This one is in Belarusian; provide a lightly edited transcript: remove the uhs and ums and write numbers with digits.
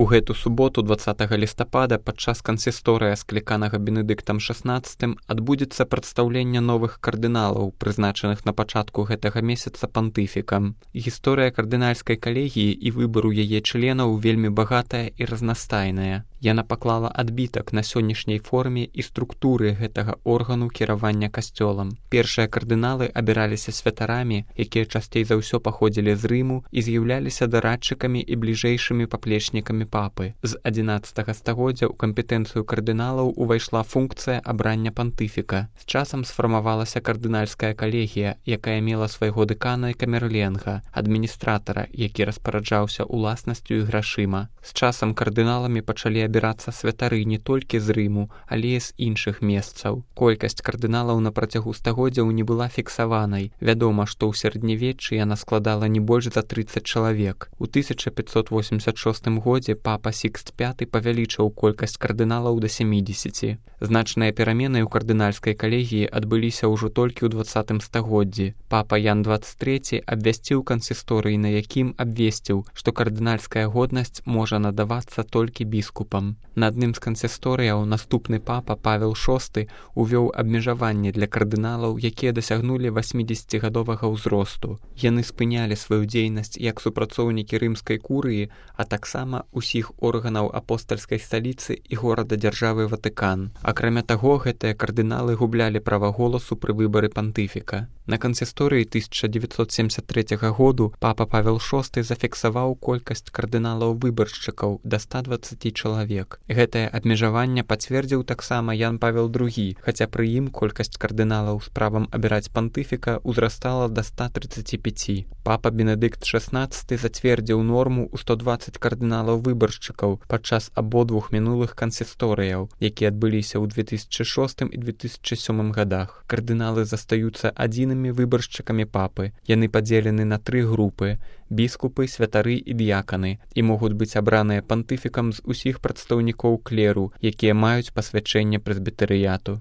У гэту суботу 20 лістапада падчас кансісторыя, скліканага Бенедыктам XVI, адбудзецца прадстаўленне новых кардыналаў, прызначаных на пачатку гэтага месяца пантыфікам. Гісторыя кардынальскай калегіі і выбару яе членаў вельмі багатая і разнастайная. Яна паклала адбітак на сённяшняй форме і структуры гэтага органу кіравання касцёлам. Першыя кардыналы абіраліся святарамі, якія часцей за ўсё паходзілі з Рыму і з'яўляліся дарадчыкамі і бліжэйшымі паплечнікамі папы. З 11 стагоддзя ў кампетэнцыю кардыналаў увайшла функцыя абрання пантыфіка. З часам сфармавалася кардынальская калегія, якая мела свайго дэкана і камерленга, адміністратара, які распараджаўся уласнасцю і грашыма. З часам кардыналамі пачалі абірацца святары не толькі з Рыму, але і з іншых месцаў. Колькасць кардыналаў на працягу стагоддзяў не была фіксаванай. Вядома, што ў сярэднявеччы яна складала не больш за 30 чалавек. У 1586 годзе папа Сікст V павялічыў колькасць кардыналаў да 70. Значныя перамены ў кардынальскай калегіі адбыліся ўжо толькі ў 20 стагоддзі. Папа Ян XXIII абвясціў кансісторый, на якім абвесціў, што кардынальская годнасць можа надавацца толькі біскупам. На адным з кансісторыяў наступны папа Павел VI увёў абмежаванне для кардыналаў, якія дасягнулі 80гадовага ўзросту. Яны спынялі сваю дзейнасць як супрацоўнікі рымскай курыі, а таксама ўсіх органаў апостальскай сталіцы і горада-дзяржавы Ватыкан. Акрамя таго, гэтыя кардыналы гублялі права голасу пры выбары пантыфіка. На кансісторыі 1973 году папа Павел VI зафіксаваў колькасць кардыналаў-выбаршчыкаў да 120 чалавек. Гэтае абмежаванне пацвердзіў таксама Ян Павел II, хаця пры ім колькасць кардыналаў з правам абіраць пантыфіка ўзрастала да 135. Папа Бенедыкт XVI зацвердзіў норму ў 120 кардыналаў-выбаршчыкаў падчас абодвух мінулых кансісторыяў, якія адбыліся ў 2006 і 2007 годах. Кардыналы застаюцца адзінымі выбаршчыкамі папы. Яны падзелены на 3 групы: біскупы, святары і дыяканы, і могуць быць абраныя пантыфікам з усіх прадстаўнікоў клеру, якія маюць пасвячэнне прэсбітэрыяту.